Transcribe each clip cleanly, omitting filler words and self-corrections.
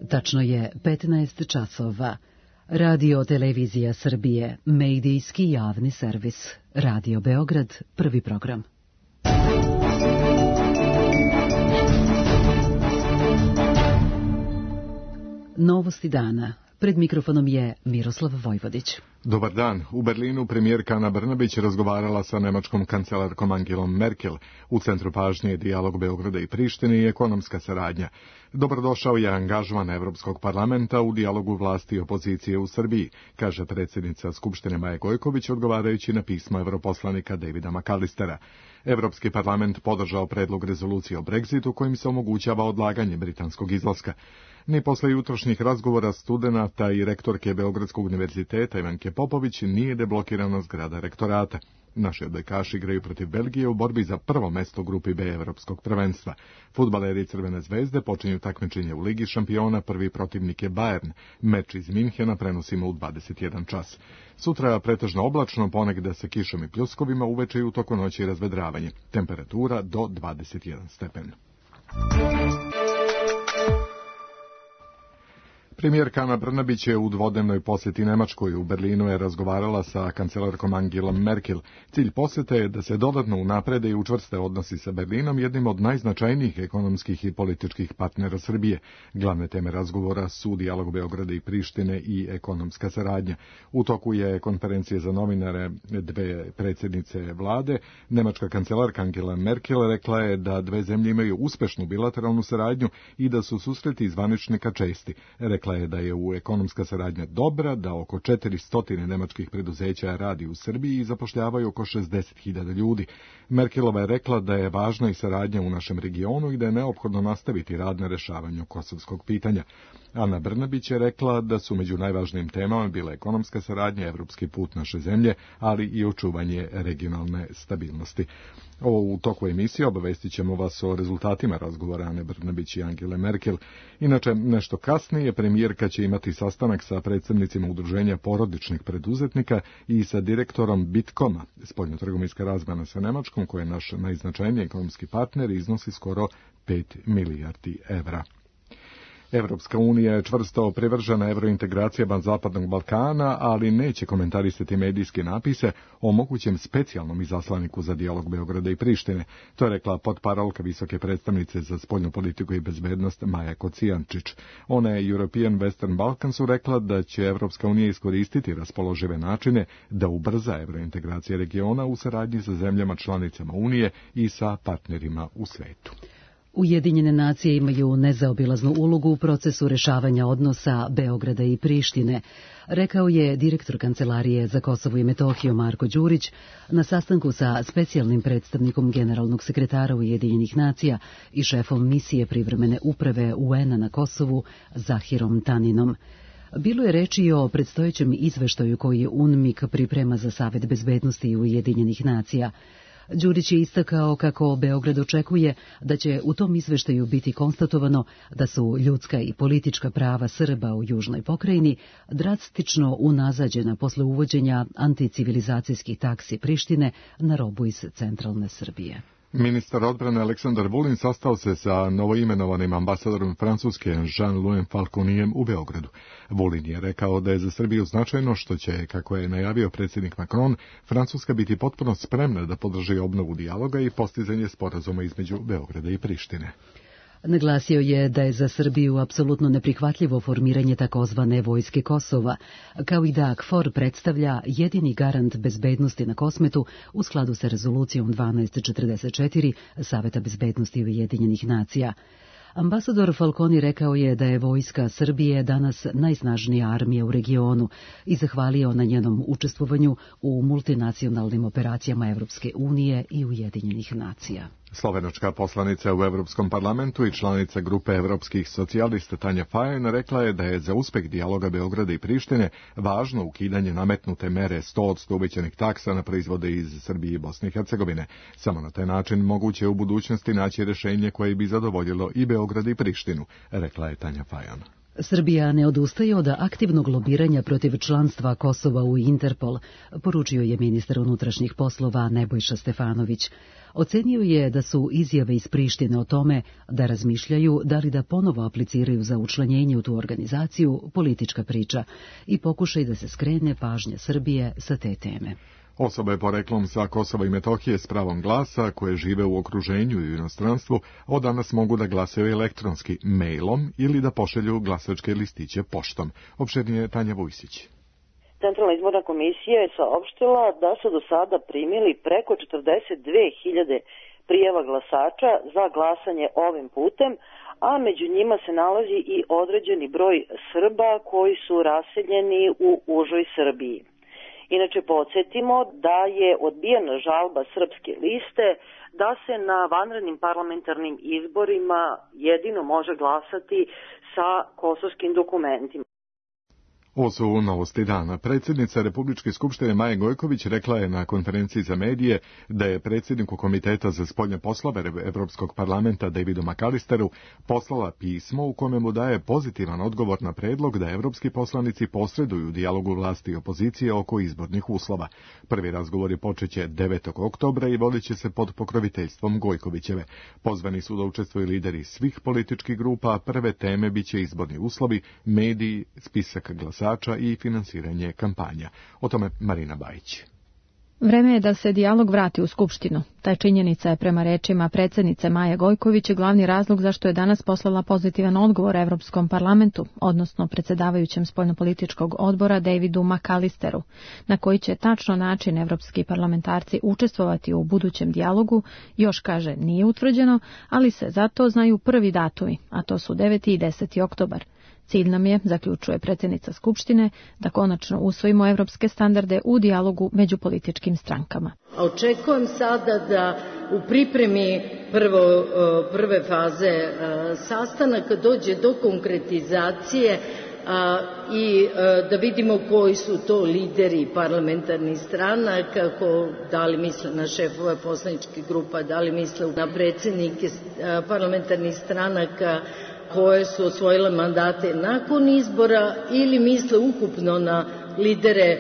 Tačno je 15 časova. Radio Televizija Srbije, medijski javni servis. Radio Beograd, prvi program. Novosti dana. Pred mikrofonom je Miroslav Vojvodić. Dobar dan. U Berlinu premijerka Ana Brnabić razgovarala sa nemačkom kancelarkom Angelom Merkel. U centru pažnje je dijalog Beograda i Prištine i ekonomska saradnja. Dobrodošao je angažman Evropskog parlamenta u dijalogu vlasti i opozicije u Srbiji, kaže predsjednica Skupštine Maja Gojković odgovarajući na pismo europoslanika Davida McAllistera. Evropski parlament podržao predlog rezolucije o Brexitu kojim se omogućava odlaganje britanskog izlaska. Ni posle jutrošnjih razgovora studenata i rektorke Beogradskog univerziteta Ivanke Popović nije deblokirana zgrada rektorata. Naši odbojkaši igraju protiv Belgije u borbi za prvo mesto u grupi B Evropskog prvenstva. Fudbaleri Crvene zvezde počinju takmičenje u Ligi šampiona, prvi protivnik je Bayern. Meč iz Minhena prenosimo u 21 čas. Sutra pretežno oblačno, ponegde sa kišom i pljuskovima, uveče i u toku noći razvedravanje. Temperatura do 21 stepen. Premijerka Ana Brnabić je u dvodnevnoj posjeti Nemačkoj. U Berlinu je razgovarala sa kancelarkom Angelom Merkel. Cilj posjete je da se dodatno unaprede i učvrste odnosi sa Berlinom, jednim od najznačajnijih ekonomskih i političkih partnera Srbije. Glavne teme razgovora su dijalog Beograda i Prištine i ekonomska saradnja. U toku je konferencije za novinare dve predsjednice vlade. Nemačka kancelarka Angela Merkel rekla je da dve zemlje imaju uspešnu bilateralnu saradnju i da su susreti zvaničnika česti. Rekla je da je u ekonomska saradnja dobra, da oko 400 nemačkih preduzeća radi u Srbiji i zapošljavaju oko 60.000 ljudi. Merkelova je rekla da je važna i saradnja u našem regionu i da je neophodno nastaviti rad na rešavanju kosovskog pitanja. Ana Brnabić je rekla da su među najvažnijim temama bile ekonomska saradnja, evropski put naše zemlje, ali i očuvanje regionalne stabilnosti. U toku emisije obavestit ćemo vas o rezultatima razgovora Ane Brnabić i Angele Merkel. Inače, nešto kasnije premijerka će imati sastanak sa predstavnicima udruženja porodičnih preduzetnika i sa direktorom Bitkoma. Spoljnotrgovinska razmjena sa Nemačkom, koja je naš najznačajniji ekonomski partner, iznosi skoro 5 milijardi evra. Evropska unija je čvrsto privržena evrointegracijama Zapadnog Balkana, ali neće komentarisati medijske napise o mogućem specijalnom izaslaniku za dijalog Beograda i Prištine. To je rekla potparolka visoke predstavnice za spoljnu politiku i bezbednost Maja Kocijančić. Ona je European Western Balkansu rekla da će Evropska unija iskoristiti raspoložive načine da ubrza evrointegracije regiona u saradnji sa zemljama članicama Unije i sa partnerima u svetu. Ujedinjene nacije imaju nezaobilaznu ulogu u procesu rešavanja odnosa Beograda i Prištine, rekao je direktor Kancelarije za Kosovo i Metohiju Marko Đurić na sastanku sa specijalnim predstavnikom generalnog sekretara Ujedinjenih nacija i šefom misije privremene uprave UN-a na Kosovu Zahirom Taninom. Bilo je reči o predstojećem izveštaju koji UNMIK priprema za Savet bezbednosti Ujedinjenih nacija. Đurić je istakao kako Beograd očekuje da će u tom izveštaju biti konstatovano da su ljudska i politička prava Srba u južnoj pokrajini drastično unazađena posle uvođenja anticivilizacijskih taksi Prištine na robu iz centralne Srbije. Ministar odbrane Aleksandar Vulin sastao se sa novoimenovanim ambasadorom Francuske Jean-Louis Falconijem u Beogradu. Vulin je rekao da je za Srbiju značajno što će, kako je najavio predsjednik Macron, Francuska biti potpuno spremna da podrži obnovu dijaloga i postizanje sporazuma između Beograda i Prištine. Naglasio je da je za Srbiju apsolutno neprihvatljivo formiranje takozvane vojske Kosova, kao i da KFOR predstavlja jedini garant bezbednosti na Kosmetu u skladu sa rezolucijom 1244 Saveta bezbednosti Ujedinjenih nacija. Ambasador Falconi rekao je da je vojska Srbije danas najsnažnija armija u regionu i zahvalio na njenom učestvovanju u multinacionalnim operacijama Evropske unije i Ujedinjenih nacija. Slovenačka poslanica u Evropskom parlamentu i članica grupe evropskih socijalista Tanja Fajon rekla je da je za uspeh dijaloga Beograda i Prištine važno ukidanje nametnute mere 100% uvećanih taksa na proizvode iz Srbije i Bosne i Hercegovine. Samo na taj način moguće je u budućnosti naći rješenje koje bi zadovoljilo i Beograd i Prištinu, rekla je Tanja Fajon. Srbija ne odustaje od aktivnog lobiranja protiv članstva Kosova u Interpol, poručio je ministar unutrašnjih poslova Nebojša Stefanović. Ocenio je da su izjave iz Prištine o tome da razmišljaju da li da ponovo apliciraju za učlanjenje u tu organizaciju politička priča i pokušaj da se skrene pažnja Srbije sa te teme. Osobe poreklom sa Kosova i Metohije s pravom glasa, koje žive u okruženju i u inostranstvu, od danas mogu da glasaju elektronski, mailom ili da pošalju glasačke listiće poštom. Opširnije Tanja Vujsić. Centralna izborna komisija je saopštila da su do sada primili preko 42.000 prijava glasača za glasanje ovim putem, a među njima se nalazi i određeni broj Srba koji su raseljeni u užoj Srbiji. Inače, podsjetimo da je odbijena žalba Srpske liste da se na vanrednim parlamentarnim izborima jedino može glasati sa kosovskim dokumentima. Ovo su novosti dana. Predsjednica Republičke skupštine Maja Gojković rekla je na konferenciji za medije da je predsjedniku Komiteta za spoljne poslove Evropskog parlamenta Davidu McAllisteru poslala pismo u kome mu daje pozitivan odgovor na predlog da evropski poslanici posreduju u dijalogu vlasti i opozicije oko izbornih uslova. Prvi razgovor počeće 9. oktobra i vodit će se pod pokroviteljstvom Gojkovićeve. Pozvani su da učestvuju lideri svih političkih grupa, prve teme biće izborni uslovi, mediji, spisak glasača i finansiranje kampanja. O tome Marina Bajić. Vreme je da se dijalog vrati u Skupštinu. Ta činjenica je prema rečima predsjednice Maje Gojković glavni razlog zašto je danas poslala pozitivan odgovor Evropskom parlamentu, odnosno predsjedavajućem spoljnopolitičkog odbora Davidu McAllisteru, na koji će tačno način evropski parlamentarci učestvovati u budućem dijalogu, još kaže nije utvrđeno, ali se zato znaju prvi datumi, a to su 9. i 10. oktobar. Cilj nam je, zaključuje predsjednica Skupštine, da konačno usvojimo evropske standarde u dijalogu među političkim strankama. Očekujem sada da u pripremi prve faze sastanaka dođe do konkretizacije i da vidimo koji su to lideri parlamentarnih stranaka, da li misle na šefove poslaničkih grupa, da li misle na predsjednike parlamentarnih stranaka koje su osvojile mandate nakon izbora ili misle ukupno na lidere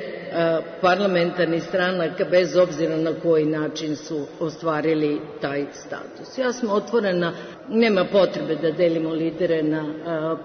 parlamentarnih stranaka bez obzira na koji način su ostvarili taj status. Ja sam otvorena, nema potrebe da delimo lidere na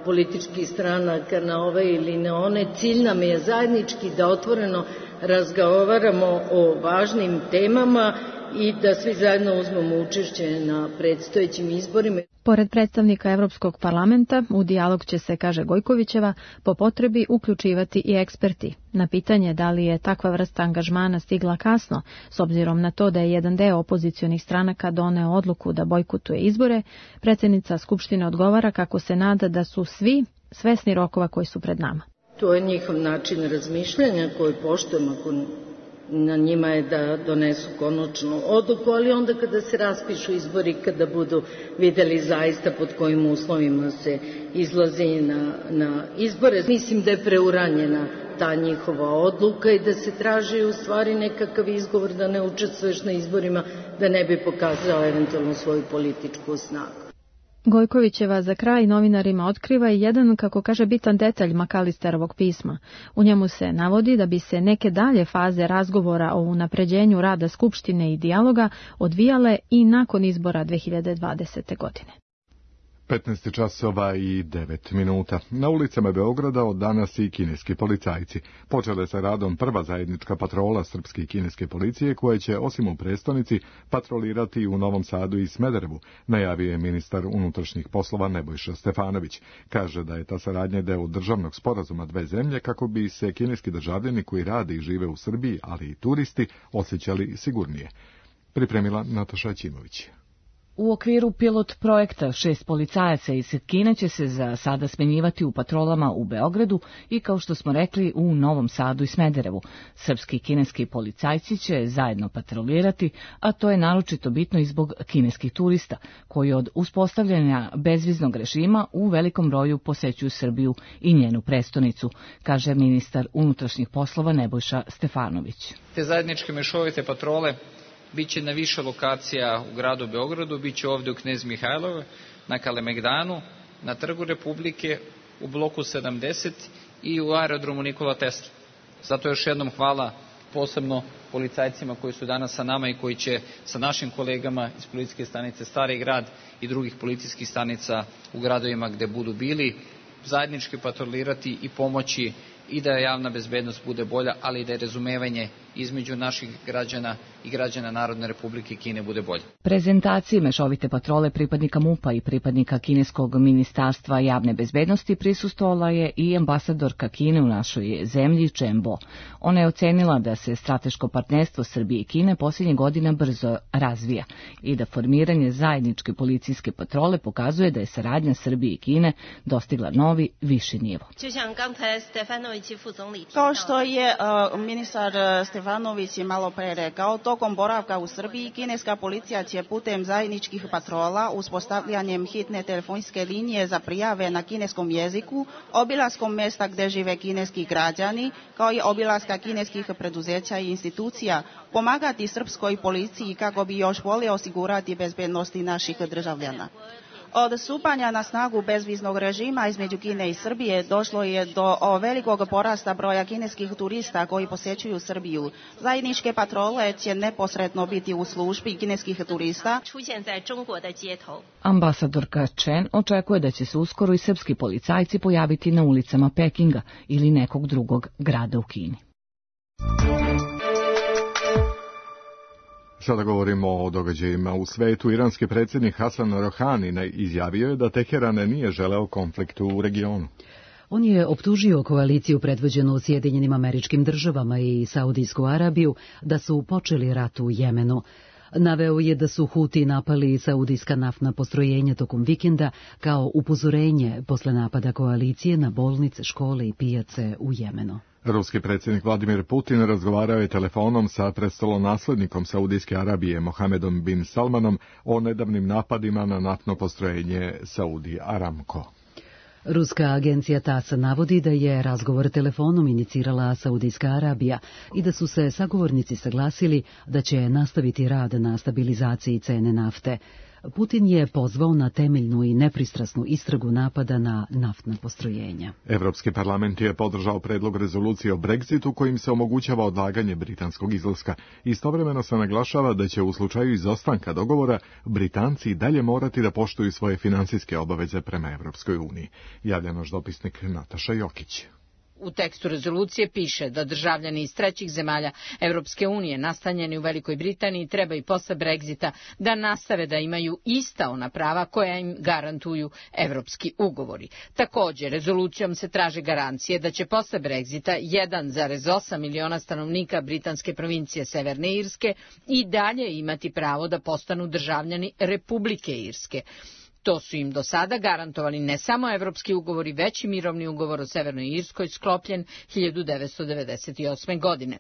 političkih stranaka, na ove ili na one. Cilj nam je zajednički da otvoreno razgovaramo o važnim temama i da svi zajedno uzmemo učešće na predstojećim izborima. Pored predstavnika Evropskog parlamenta, u dijalog će se, kaže Gojkovićeva, po potrebi uključivati i eksperti. Na pitanje da li je takva vrsta angažmana stigla kasno, s obzirom na to da je jedan deo opozicionih stranaka doneo odluku da bojkotuje izbore, predsjednica Skupštine odgovara kako se nada da su svi svesni rokova koji su pred nama. To je njihov način razmišljanja koji poštujemo, na njima je da donesu konačnu odluku, ali onda kada se raspišu izbori, kada budu videli zaista pod kojim uslovima se izlazi na izbore, mislim da je preuranjena ta njihova odluka i da se traži u stvari nekakav izgovor da ne učestvuješ na izborima, da ne bi pokazao eventualno svoju političku snagu. Gojkovićeva za kraj novinarima otkriva i jedan, kako kaže, bitan detalj McAllisterovog pisma. U njemu se navodi da bi se neke dalje faze razgovora o unapređenju rada Skupštine i dijaloga odvijale i nakon izbora 2020. godine. 15 časova i 9 minuta. Na ulicama Beograda od danas i kineski policajci. Počela je sa radom prva zajednička patrola srpske i kineske policije koja će, osim u prestonici, patrolirati u Novom Sadu i Smederevu, najavio je ministar unutrašnjih poslova Nebojša Stefanović. Kaže da je ta saradnja deo državnog sporazuma dve zemlje kako bi se kineski državljani koji rade i žive u Srbiji, ali i turisti, osjećali sigurnije. Pripremila Nataša Ćimović. U okviru pilot projekta 6 policajaca iz Kine će se za sada smenjivati u patrolama u Beogradu i, kao što smo rekli, u Novom Sadu i Smederevu. Srpski i kineski policajci će zajedno patrolirati, a to je naročito bitno i zbog kineskih turista, koji od uspostavljanja bezviznog režima u velikom broju posećuju Srbiju i njenu prestonicu, kaže ministar unutrašnjih poslova Nebojša Stefanović. Te zajedničke mešovite patrole biće na više lokacija u gradu Beogradu, biće ovdje u Knez Mihajlove, na Kalemegdanu, na Trgu Republike, u bloku 70 i u aerodromu Nikola Tesla. Zato još jednom hvala posebno policajcima koji su danas sa nama i koji će sa našim kolegama iz policijske stanice Stari grad i drugih policijskih stanica u gradovima gde budu bili zajednički patrolirati i pomoći i da javna bezbednost bude bolja, ali i da je razumevanje između naših građana i građana Narodne Republike Kine bude bolje. Prezentaciji mešovite patrole pripadnika MUP-a i pripadnika kineskog ministarstva javne bezbednosti prisustvovala je i ambasadorka Kine u našoj zemlji Chen Bo. Ona je ocenila da se strateško partnerstvo Srbije i Kine posljednjih godina brzo razvija i da formiranje zajedničke policijske patrole pokazuje da je saradnja Srbije i Kine dostigla novi, viši nivo. Kao što je ministar Stefanović malo pre rekao, tokom boravka u Srbiji kineska policija će putem zajedničkih patrola, uspostavljanjem hitne telefonske linije za prijave na kineskom jeziku, obilaskom mesta gde žive kineski građani, kao i obilaska kineskih preduzeća i institucija, pomagati srpskoj policiji kako bi još bolje osigurati bezbednosti naših državljana. Od stupanja na snagu bezviznog režima između Kine i Srbije došlo je do velikog porasta broja kineskih turista koji posećuju Srbiju. Zajedničke patrole će neposredno biti u službi kineskih turista. Ambasadorka Chen očekuje da će se uskoro i srpski policajci pojaviti na ulicama Pekinga ili nekog drugog grada u Kini. Sada govorimo o događajima u svetu. Iranski predsjednik Hasan Rohani izjavio je da Teheran nije želeo konfliktu u regionu. On je optužio koaliciju predvođenu Sjedinjenim Američkim Državama i Saudijsku Arabiju da su počeli rat u Jemenu. Naveo je da su Huti napali saudijska naftna postrojenja tokom vikenda kao upozorenje posle napada koalicije na bolnice, škole i pijace u Jemenu. Ruski predsjednik Vladimir Putin razgovarao je telefonom sa prestolonaslednikom Saudijske Arabije Mohamedom bin Salmanom o nedavnim napadima na naftno postrojenje Saudi Aramco. Ruska agencija TASS navodi da je razgovor telefonom inicirala Saudijska Arabija i da su se sagovornici saglasili da će nastaviti rad na stabilizaciji cene nafte. Putin je pozvao na temeljnu i nepristrasnu istragu napada na naftna postrojenja. Evropski parlament je podržao predlog rezolucije o Brexitu kojim se omogućava odlaganje britanskog izlaska. Istovremeno se naglašava da će u slučaju izostanka dogovora Britanci dalje morati da poštuju svoje finansijske obaveze prema Evropskoj uniji. Javlja naš dopisnik Nataša Jokić. U tekstu rezolucije piše da državljani iz trećih zemalja Evropske unije nastanjeni u Velikoj Britaniji treba i posle Brexita da nastave da imaju ista ona prava koja im garantuju evropski ugovori. Također, rezolucijom se traže garancije da će posle Brexita 1,8 miliona stanovnika britanske provincije Severne Irske i dalje imati pravo da postanu državljani Republike Irske. To su im do sada garantovali ne samo evropski ugovori, već i mirovni ugovor o Severnoj Irskoj sklopljen 1998. godine.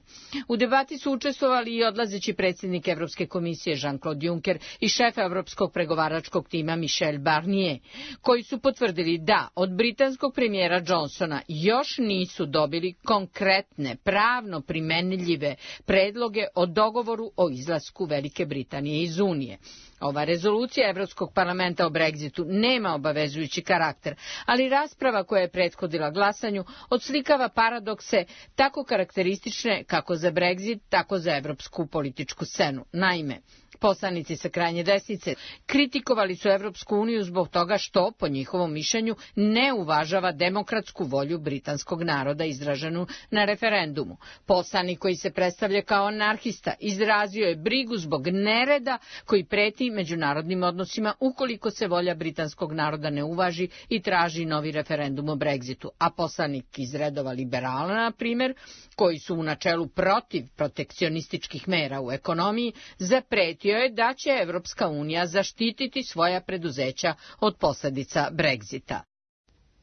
U debati su učestvovali i odlazeći predsjednik Evropske komisije Jean-Claude Juncker i šef evropskog pregovaračkog tima Michel Barnier, koji su potvrdili da od britanskog premijera Johnsona još nisu dobili konkretne, pravno primenljive predloge o dogovoru o izlasku Velike Britanije iz Unije. Ova rezolucija Evropskog parlamenta o Brexitu nema obavezujući karakter, ali rasprava koja je prethodila glasanju odslikava paradokse tako karakteristične kako za Brexit, tako za evropsku političku scenu. Naime, poslanici sa krajnje desnice kritikovali su Evropsku uniju zbog toga što, po njihovom mišljenju, ne uvažava demokratsku volju britanskog naroda izraženu na referendumu. Poslanik koji se predstavlja kao anarhista izrazio je brigu zbog nereda koji preti međunarodnim odnosima ukoliko se volja britanskog naroda ne uvaži i traži novi referendum o Brexitu. A poslanik iz redova liberala, na primjer, koji su u načelu protiv protekcionističkih mera u ekonomiji, zapretio je da će Evropska unija zaštititi svoja preduzeća od posljedica Brexita.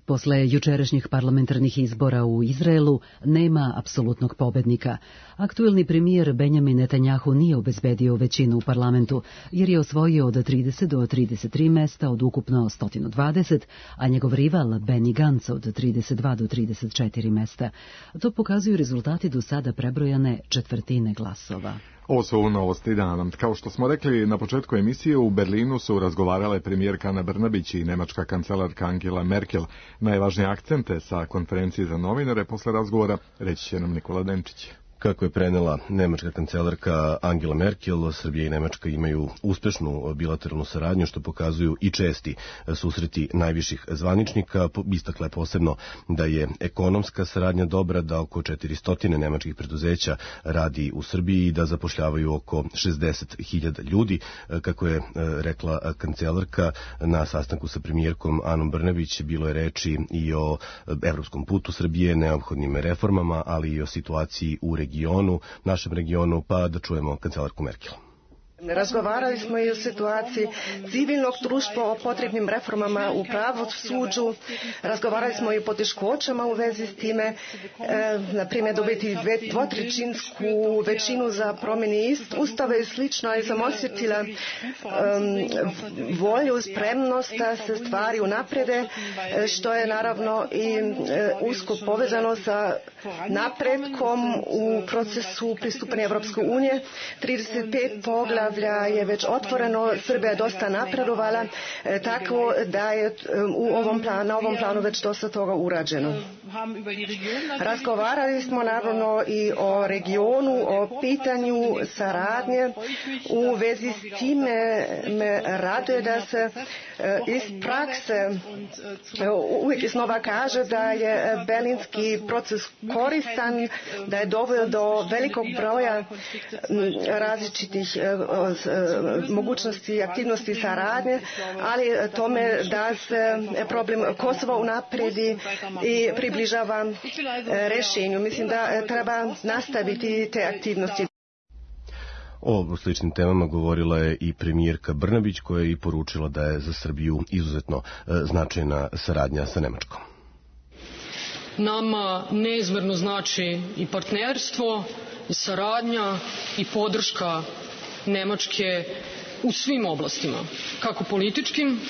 Posle jučerašnjih parlamentarnih izbora u Izraelu nema apsolutnog pobednika. Aktuelni premijer Benjamin Netanjahu nije obezbedio većinu u parlamentu, jer je osvojio od 30 do 33 mesta od ukupno 120, a njegov rival Benny Gantz od 32 do 34 mesta. To pokazuju rezultati do sada prebrojane četvrtine glasova. Ovo su novosti dana. Kao što smo rekli na početku emisije, u Berlinu su razgovarale premijerka Ana Brnabić i nemačka kancelarka Angela Merkel. Najvažnije akcente sa konferencije za novinare posle razgovora reći će nam Nikola Denčić. Kako je prenela nemačka kancelarka Angela Merkel, Srbija i Nemačka imaju uspešnu bilateralnu saradnju, što pokazuju i česti susreti najviših zvaničnika. Istakla je posebno da je ekonomska saradnja dobra, da oko 400 nemačkih preduzeća radi u Srbiji i da zapošljavaju oko 60.000 ljudi. Kako je rekla kancelarka na sastanku sa premijerkom Anom Brnabić, bilo je reči i o evropskom putu Srbije, neophodnim reformama, ali i o situaciji u našem regionu, pa da čujemo kancelarku Merkel. Razgovarali smo i o situaciji civilnog društva, o potrebnim reformama u pravosuđu, razgovarali smo i o poteškoćama u vezi s time, na primjer dobiti dvotrećinsku većinu za promjeni Ustava i slično, ali sam osjetila volju, spremnost da se stvari unaprede, što je naravno i usko povezano sa napretkom u procesu pristupanja Evropske unije. 35 poglavlja je već otvoreno, Srbija je dosta napredovala, tako da je na ovom planu već dosta toga urađeno. Razgovarali smo naravno i o regionu, o pitanju saradnje. U vezi s time me raduje da se iz prakse uvijek iznova kaže da je berlinski proces koristan, da je doveo do velikog broja različitih mogućnosti i aktivnosti saradnje, ali tome da se problem Kosova unapredi i približava rješenju. Mislim da treba nastaviti te aktivnosti. O sličnim temama govorila je i premijerka Brnabić, koja je i poručila da je za Srbiju izuzetno značajna saradnja sa Nemačkom. Nama neizmjerno znači i partnerstvo, i saradnja, i podrška Nemačke u svim oblastima, kako političkim,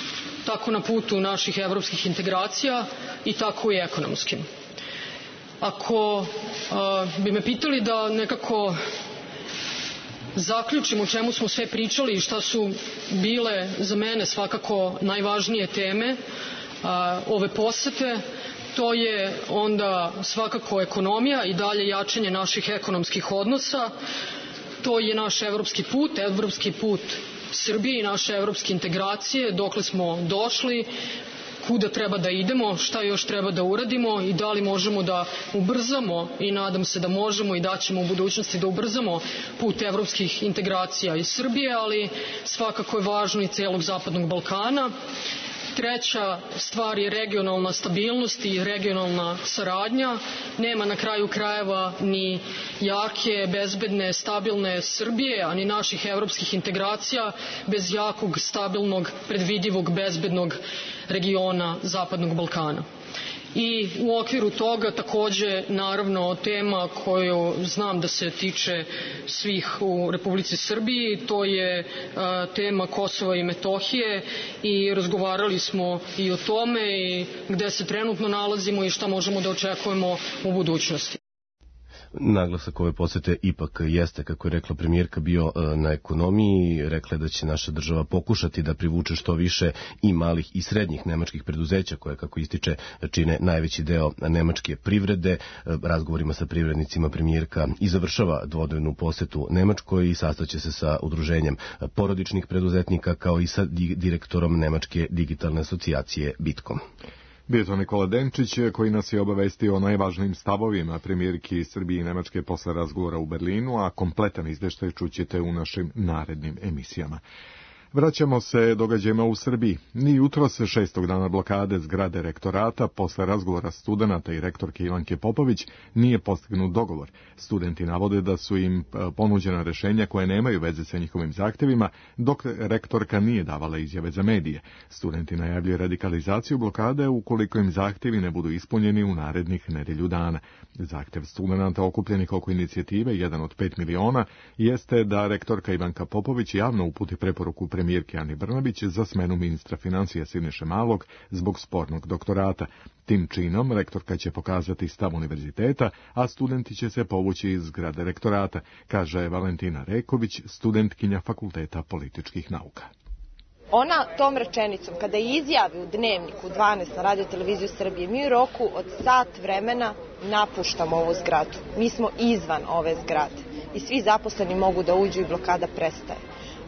tako na putu naših evropskih integracija i tako i ekonomskim. Ako bi me pitali da nekako zaključimo o čemu smo sve pričali i šta su bile za mene svakako najvažnije teme ove posete, to je onda svakako ekonomija i dalje jačanje naših ekonomskih odnosa. To je naš evropski put Srbije i naše evropske integracije, dokle smo došli, kuda treba da idemo, šta još treba da uradimo i da li možemo da ubrzamo, i nadam se da možemo i da ćemo u budućnosti da ubrzamo put evropskih integracija iz Srbije, ali svakako je važno i celog Zapadnog Balkana. Treća stvar je regionalna stabilnost i regionalna saradnja. Nema na kraju krajeva ni jake, bezbedne, stabilne Srbije, a ni naših evropskih integracija bez jakog, stabilnog, predvidivog, bezbednog regiona Zapadnog Balkana. I u okviru toga takođe naravno tema koju znam da se tiče svih u Republici Srbiji, to je tema Kosova i Metohije i razgovarali smo i o tome i gde se trenutno nalazimo i šta možemo da očekujemo u budućnosti. Naglasak ove posete ipak jeste, kako je rekla premijerka, bio na ekonomiji. Rekla je da će naša država pokušati da privuče što više i malih i srednjih nemačkih preduzeća, koje, kako ističe, čine najveći deo nemačke privrede. Razgovorima sa privrednicima premijerka i završava dvodnevnu posetu Nemačkoj i sastaće se sa udruženjem porodičnih preduzetnika kao i sa direktorom Nemačke digitalne asocijacije Bitkom. Bio to Nikola Denčić, koji nas je obavestio o najvažnijim stavovima premijerki Srbije i Nemačke posle razgovora u Berlinu, a kompletan izveštaj čućete u našim narednim emisijama. Vraćamo se događajima u Srbiji. Ni jutros 6. dana blokade zgrade rektorata posle razgovora studenata i rektorke Ivanke Popović nije postignut dogovor. Studenti navode da su im ponuđena rešenja koje nemaju veze sa njihovim zahtevima, dok rektorka nije davala izjave za medije. Studenti najavljuju radikalizaciju blokade ukoliko im zahtevi ne budu ispunjeni u narednih nedelju dana. Zahtev studenata okupljenih oko inicijative, jedan od 5 miliona, jeste da rektorka Ivanka Popović javno uputi preporuku premijerki premijerki Ani Brnabić za smenu ministra financija Siniše Malog zbog spornog doktorata. Tim činom rektorka će pokazati stav univerziteta, a studenti će se povući iz zgrade rektorata, kaže Valentina Reković, studentkinja Fakulteta političkih nauka. Ona tom rečenicom, kada je izjavi u Dnevniku 12 na Radio-televiziju Srbije, mi u roku od sat vremena napuštamo ovu zgradu. Mi smo izvan ove zgrade i svi zaposleni mogu da uđu i blokada prestaje.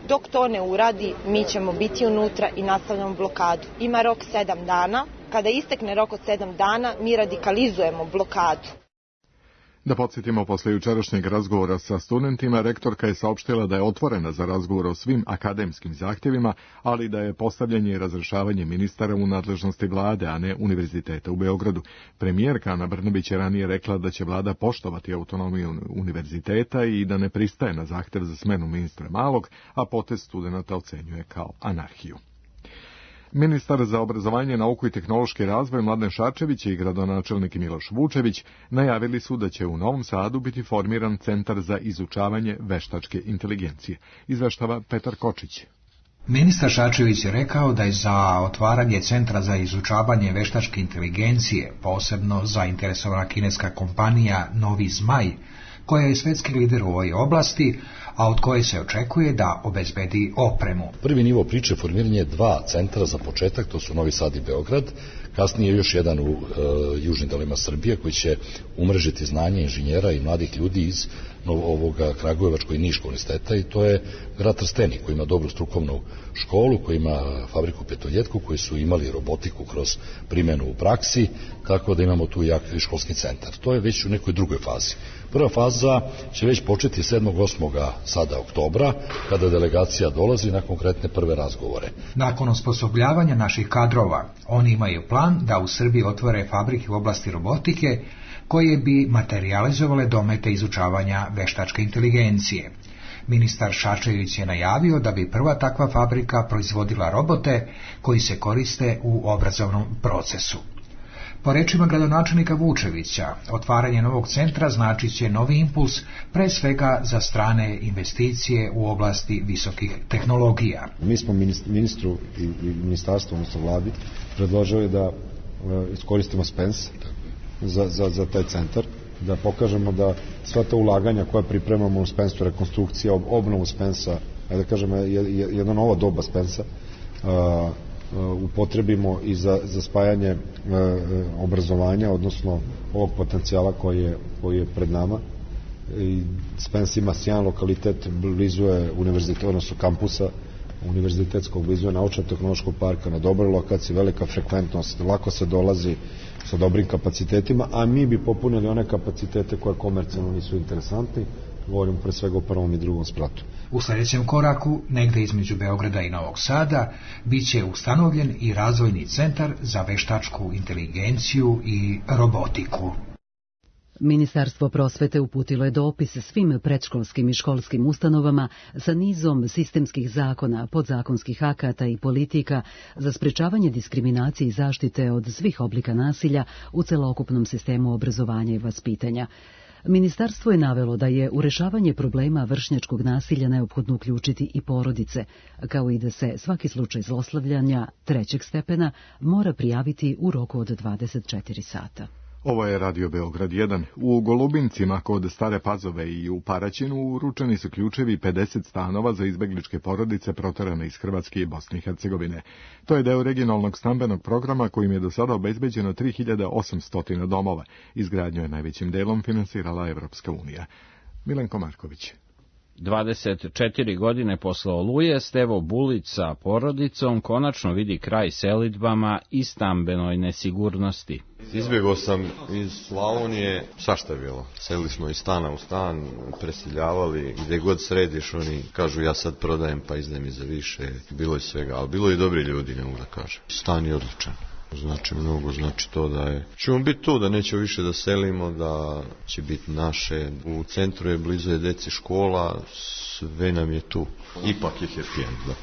Dok to ne uradi, mi ćemo biti unutra i nastavljamo blokadu. Ima rok 7 dana. Kada istekne rok od 7 dana, mi radikalizujemo blokadu. Da podsjetimo, posle jučerašnjeg razgovora sa studentima, rektorka je saopštila da je otvorena za razgovor o svim akademskim zahtjevima, ali da je postavljanje i razrešavanje ministara u nadležnosti vlade, a ne univerziteta u Beogradu. Premijerka Ana Brnabić je ranije rekla da će vlada poštovati autonomiju univerziteta i da ne pristaje na zahtev za smenu ministra Malog, a potez studenata ocenjuje kao anarhiju. Ministar za obrazovanje, nauku i tehnološki razvoj Mladen Šarčević i gradonačelnik Miloš Vučević najavili su da će u Novom Sadu biti formiran centar za izučavanje veštačke inteligencije. Izveštava Petar Kočić. Ministar Šarčević je rekao da je za otvaranje centra za izučavanje veštačke inteligencije posebno zainteresovana kineska kompanija Novi Zmaj, koja je svetski lider u ovoj oblasti, a od koje se očekuje da obezbedi opremu. Prvi nivo priče je formiranje 2 centra za početak, to su Novi Sad i Beograd, kasnije još jedan u južnim delima Srbije koji će umrežiti znanje inženjera i mladih ljudi iz ovoga Kragujevačkog i Niškog univerziteta, i to je grad Trstenik koji ima dobru strukovnu školu, koji ima fabriku petoljetku, koji su imali robotiku kroz primjenu u praksi, tako da imamo tu jak školski centar. To je već u nekoj drugoj fazi. Prva faza će već početi 7. 8. sada oktobra, kada delegacija dolazi na konkretne prve razgovore. Nakon osposobljavanja naših kadrova, oni imaju plan da u Srbiji otvore fabrike u oblasti robotike, koje bi materijalizovale domete izučavanja veštačke inteligencije. Ministar Šarčević je najavio da bi prva takva fabrika proizvodila robote koji se koriste u obrazovnom procesu. Po rečima gradonačelnika Vučevića, otvaranje novog centra znači će novi impuls, pre svega za strane investicije u oblasti visokih tehnologija. Mi smo ministru i ministarstvu, odnosno vladi, predložili da iskoristimo Spens za taj centar, da pokažemo da sva ta ulaganja koja pripremamo u Spensu, rekonstrukcija, obnovu Spensa, da kažemo jedna nova doba Spensa, upotrebimo i za spajanje obrazovanja, odnosno ovog potencijala koji je pred nama. I Spens ima sjajan lokalitet, blizu je univerziteta, odnosno kampusa univerzitetskog, blizu je naučno-tehnološkog parka, na dobroj lokaciji, velika frekventnost, lako se dolazi sa dobrim kapacitetima, a mi bi popunili one kapacitete koje komercijalno nisu interesantni, govorimo pre svega o prvom i drugom spratu. U sljedećem koraku, negde između Beograda i Novog Sada, bit će ustanovljen i razvojni centar za veštačku inteligenciju i robotiku. Ministarstvo prosvete uputilo je dopis svim predškolskim i školskim ustanovama sa nizom sistemskih zakona, podzakonskih akata i politika za sprečavanje diskriminacije i zaštite od svih oblika nasilja u celokupnom sistemu obrazovanja i vaspitanja. Ministarstvo je navelo da je u rešavanje problema vršnjačkog nasilja neophodno uključiti i porodice, kao i da se svaki slučaj zlostavljanja 3. stepena mora prijaviti u roku od 24 sata. Ovo je Radio Beograd 1. U Golubincima kod Stare Pazove i u Paraćinu uručeni su ključevi 50 stanova za izbegličke porodice proterane iz Hrvatske i Bosne i Hercegovine. To je deo regionalnog stambenog programa kojim je do sada obezbeđeno 3800 domova. Izgradnju je najvećim delom finansirala Evropska unija. Milenko Marković. 24 godine posle Oluje, Stevo Bulić sa porodicom konačno vidi kraj selidbama i stambenoj nesigurnosti. Izbjegao sam iz Slavonije, svašta je bilo. Selili smo iz stana u stan, preseljavali, gdje god središ, oni kažu ja sad prodajem pa izdajem i za više. Bilo je svega, ali bilo je i dobri ljudi, ne mogu da kažem. Stan je odličan. Znači mnogo, znači to da je... Ćemo biti tu, da nećemo više da selimo, da će biti naše. U centru je blizu je deci škola, sve nam je tu. Ipak je happy end, da.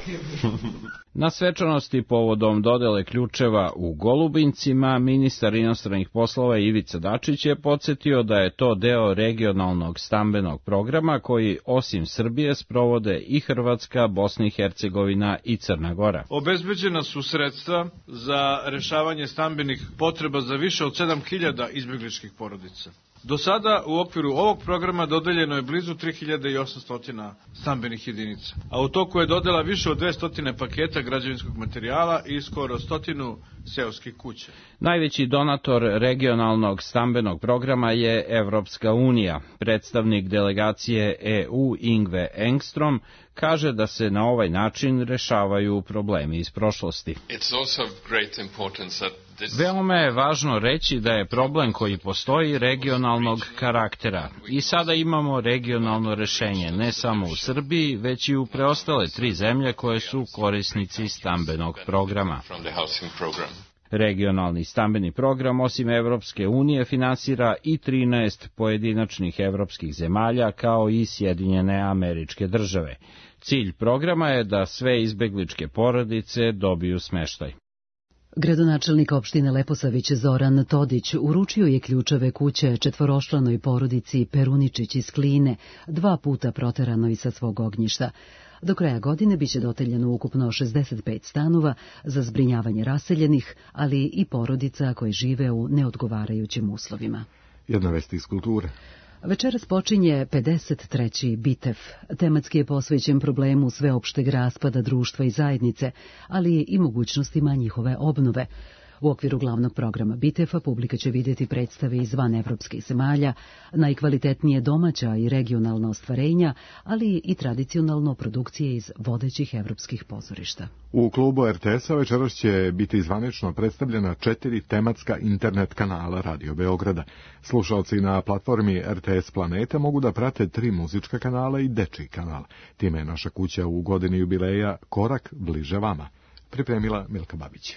Na svečanosti povodom dodele ključeva u Golubincima, ministar inostranih poslova Ivica Dačić je podsjetio da je to deo regionalnog stambenog programa koji osim Srbije sprovode i Hrvatska, Bosna i Hercegovina i Crna Gora. Obezbeđena su sredstva za rešavanje stambenih potreba za više od 7.000 izbegličkih porodica. Do sada u okviru ovog programa dodeljeno je blizu 3.800 stambenih jedinica, a u toku je dodela više od 200 paketa građevinskog materijala i skoro 100 seoskih kuća. Najveći donator regionalnog stambenog programa je Evropska unija. Predstavnik delegacije EU Ingve Engstrom kaže da se na ovaj način rešavaju problemi iz prošlosti. Veoma je važno reći da je problem koji postoji regionalnog karaktera i sada imamo regionalno rešenje ne samo u Srbiji, već i u preostale 3 zemlje koje su korisnici stambenog programa. Regionalni stambeni program osim Evropske unije finansira i 13 pojedinačnih evropskih zemalja kao i Sjedinjene Američke Države. Cilj programa je da sve izbegličke porodice dobiju smeštaj. Gradonačelnik opštine Leposavić Zoran Todić uručio je ključeve kuće četvoročlanoj porodici Peruničić iz Kline, 2 puta proteranoj sa svog ognjišta. Do kraja godine biće doteljeno ukupno 65 stanova za zbrinjavanje raseljenih, ali i porodica koje žive u neodgovarajućim uslovima. Jedna vest iz kulture. Večeras počinje 53. Bitev. Tematski je posvećen problemu sveopšteg raspada društva i zajednice, ali i mogućnostima njihove obnove. U okviru glavnog programa Bitefa publika će vidjeti predstave iz van evropskih zemalja, najkvalitetnije domaća i regionalna ostvarenja, ali i tradicionalno produkcije iz vodećih evropskih pozorišta. U klubu RTS-a večeras će biti zvanično predstavljena 4 tematska internet kanala Radio Beograda. Slušalci na platformi RTS Planeta mogu da prate 3 muzička kanala i dečiji kanal. Time je naša kuća u godini jubileja korak bliže vama. Pripremila Milka Babić.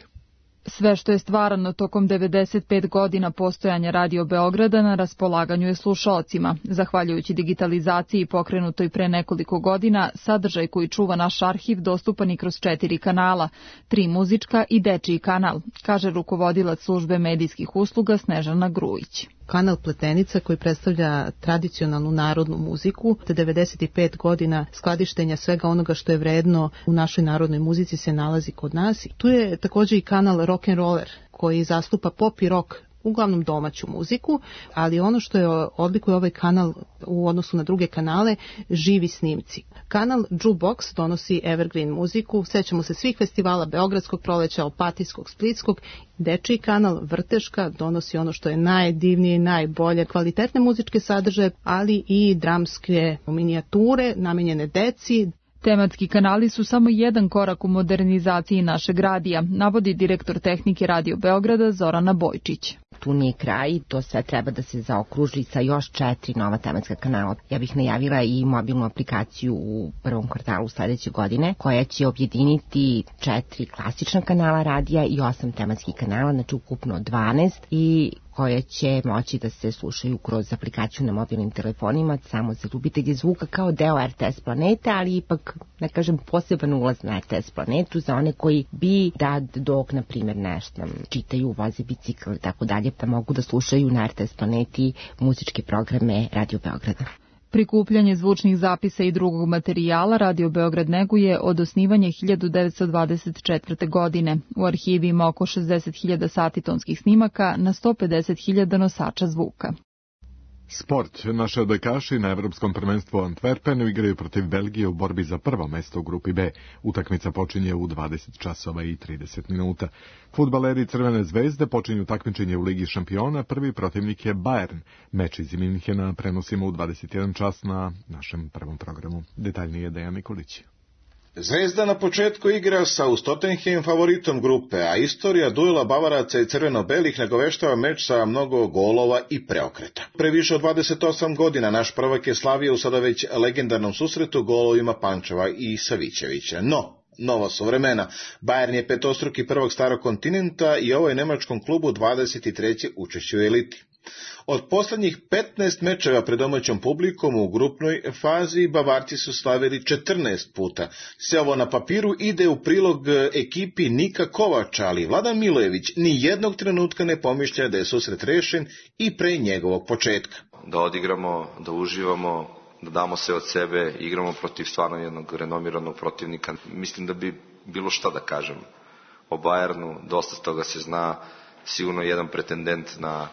Sve što je stvarano tokom 95 godina postojanja Radio Beograda na raspolaganju je slušaocima. Zahvaljujući digitalizaciji pokrenutoj pre nekoliko godina, sadržaj koji čuva naš arhiv dostupan i kroz 4 kanala, 3 muzička i dečiji kanal, kaže rukovodilac službe medijskih usluga Snežana Grujić. Kanal Pletenica koji predstavlja tradicionalnu narodnu muziku, te 95 godina skladištenja svega onoga što je vredno u našoj narodnoj muzici se nalazi kod nas. Tu je također i kanal Rock'n'Roller koji zastupa pop i rock, uglavnom domaću muziku, ali ono što je odlikuje ovaj kanal u odnosu na druge kanale, živi snimci. Kanal Jukebox donosi evergreen muziku, sećamo se svih festivala Beogradskog proleća, Opatijskog, Splitskog. Dečiji kanal Vrteška donosi ono što je najdivnije i najbolje, kvalitetne muzičke sadržaje, ali i dramske minijature namenjene deci. Tematski kanali su samo jedan korak u modernizaciji našeg radija, navodi direktor tehnike Radio Beograda Zorana Bojčić. Tu nije kraj, to sve treba da se zaokruži sa još 4 nova tematska kanala. Ja bih najavila i mobilnu aplikaciju u prvom kvartalu sledeće godine, koja će objediniti 4 klasična kanala radija i 8 tematskih kanala, znači ukupno 12 i koje će moći da se slušaju kroz aplikaciju na mobilnim telefonima, samo za ljubitelje zvuka kao deo RTS Planete, ali ipak, ne kažem, poseban ulaz na RTS Planetu za one koji bi dok, na primjer, nešto čitaju, voze bicikl i tako dalje, pa mogu da slušaju na RTS Planeti muzičke programe Radio Beograda. Prikupljanje zvučnih zapisa i drugog materijala Radio Beograd neguje od osnivanja 1924. godine. U arhivi ima oko 60.000 sati tonskih snimaka na 150.000 nosača zvuka. Sport. Naše odbojkaši na Evropskom prvenstvu u Antwerpenu igraju protiv Belgije u borbi za prvo mesto u grupi B. Utakmica počinje u 20 časova i 30 minuta. Fudbaleri Crvene zvezde počinju takmičenje u Ligi šampiona, prvi protivnik je Bayern. Meč iz Minhena prenosimo u 21 čas na našem prvom programu. Detaljnije Dejan Nikolić. Zvezda na početku igra sa uz Tottenham favoritom grupe, a istorija duela Bavaraca i crveno-belih nagoveštava meč sa mnogo golova i preokreta. Pre više od 28 godina naš prvak je slavio u sada već legendarnom susretu golovima Pančeva i Savićevića. No, nova su vremena. Bayern je petostruki prvak starog kontinenta i ovo je nemačkom klubu 23. učešće u eliti. Od poslednjih 15 mečeva pred domaćom publikom u grupnoj fazi Bavarci su slavili 14 puta. Sve ovo na papiru ide u prilog ekipi Nika Kovača, ali Vladan Milojević ni jednog trenutka ne pomišlja da je susret rešen i pre njegovog početka. Da odigramo, da uživamo, da damo sve od sebe, igramo protiv stvarno jednog renomiranog protivnika. Mislim da bi bilo šta da kažem o Bayernu, dosta toga se zna, sigurno jedan pretendent na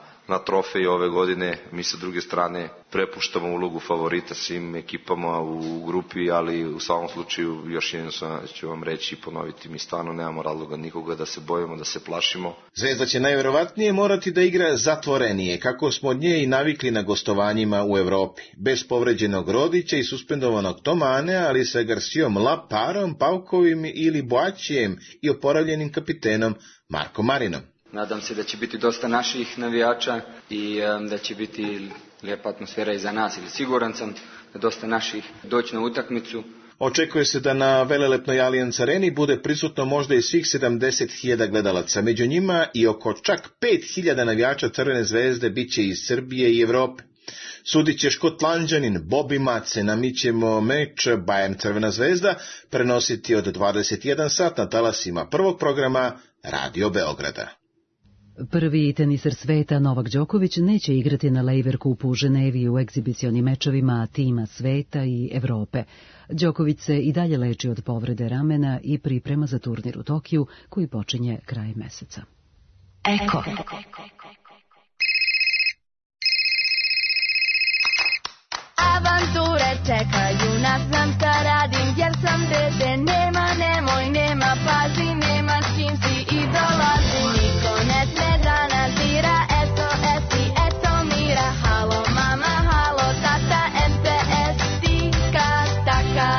trofej ove godine. Mi sa druge strane prepuštamo ulogu favorita svim ekipama u grupi, ali u svakom slučaju još jednom ću vam reći i ponoviti, mi stvarno nemamo razloga nikoga da se bojimo, da se plašimo. Zvezda će najverovatnije morati da igra zatvorenije, kako smo od nje i navikli na gostovanjima u Evropi. Bez povređenog Rodića i suspendovanog Tomane, ali sa Garcijom Laparom, Pavkovim ili Boačijem i oporavljenim kapitenom Marko Marinom. Nadam se da će biti dosta naših navijača i da će biti lijepa atmosfera i za nas. Siguran sam da dosta naših doći na utakmicu. Očekuje se da na velelepnoj Allianz Areni bude prisutno možda i svih 70.000 gledalaca. Među njima i oko čak 5.000 navijača Crvene zvezde bit će iz Srbije i Evrope. Sudit će Škotlanđanin Bobby Madsen, a mi ćemo meč Bayern Crvena zvezda prenositi od 21 sat na talasima prvog programa Radio Beograda. Prvi teniser sveta Novak Đoković neće igrati na Laver Cupu u Ženevi u egzibicionim mečevima tima sveta i Evrope. Đoković se i dalje leči od povrede ramena i priprema za turnir u Tokiju koji počinje kraj meseca. Eko. Avanture čekaju nas, znam šta radim jer sam dete. Nema, nemoj, nema, pazi, nema s čim si i dolazi. Niko ne sme da nazira, eto, esi, eto mira. Halo mama, halo tata, MTS, tika, taka.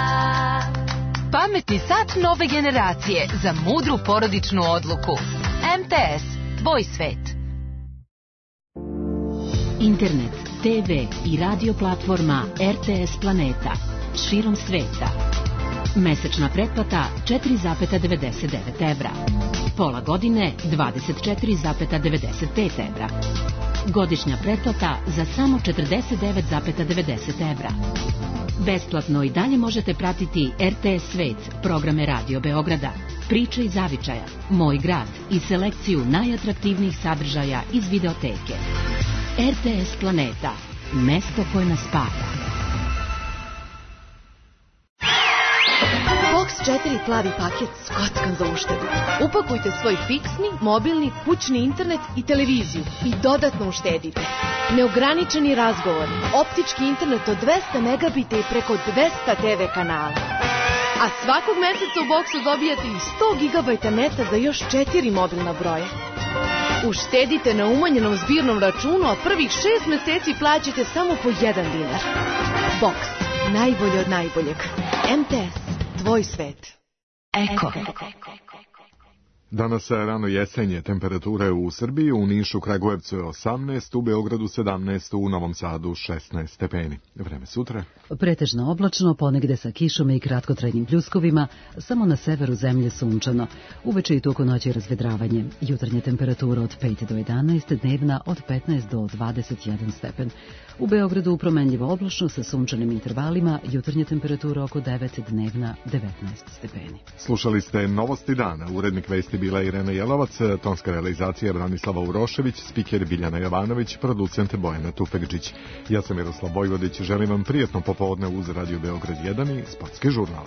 Pametni sat nove generacije za mudru porodičnu odluku. MTS, tvoj svet. Internet, TV i radio platforma RTS Planeta širom sveta. Mesečna pretplata 4,99 evra. Pola godine 24,95 evra. Godišnja pretplata za samo 49,90 evra. Besplatno i dalje možete pratiti RTS Svet, programe Radio Beograda, Priče iz Zavičaja, Moj grad i selekciju najatraktivnijih sadržaja iz videoteke. RTS Planeta, mesto koje nas spaja. Box 4 plavi paket skockan za uštedu. Upakujte svoj fiksni, mobilni, kućni internet i televiziju i dodatno uštedite. Neograničeni razgovor, optički internet od 200 megabita i preko 200 TV kanala. A svakog meseca u Boxu dobijate i 100 gigabajta neta za još 4 mobilna broja. Uštedite na umanjenom zbirnom računu, a prvih 6 meseci plaćate samo po 1 dinar. Box, najbolje od najboljeg. MTS, tvoj svet. Eko. Danas rano jesenje, temperature u Srbiji, u Nišu, Kragujevcu je 18, u Beogradu 17, u Novom Sadu 16 stepeni. Vreme sutra. Pretežno oblačno, ponegde sa kišom i kratkotrajnim pljuskovima, samo na severu zemlje sunčano. Uveče i toku noći razvedravanje. Jutarnja temperatura od 5 do 11, dnevna od 15 do 21 stepen. U Beogradu promenljivo oblačno sa sunčanim intervalima, jutarnja temperatura oko 9, dnevna 19 stepeni. Slušali ste Novosti dana, urednik vesti bila Irena Jelovac, tonska realizacija Branislava Urošević, spiker Biljana Jovanović, producent Bojana Tufekđić. Ja sam Miroslav Vojvodić, želim vam prijatno popodne uz Radio Beograd 1 i Sportski žurnal.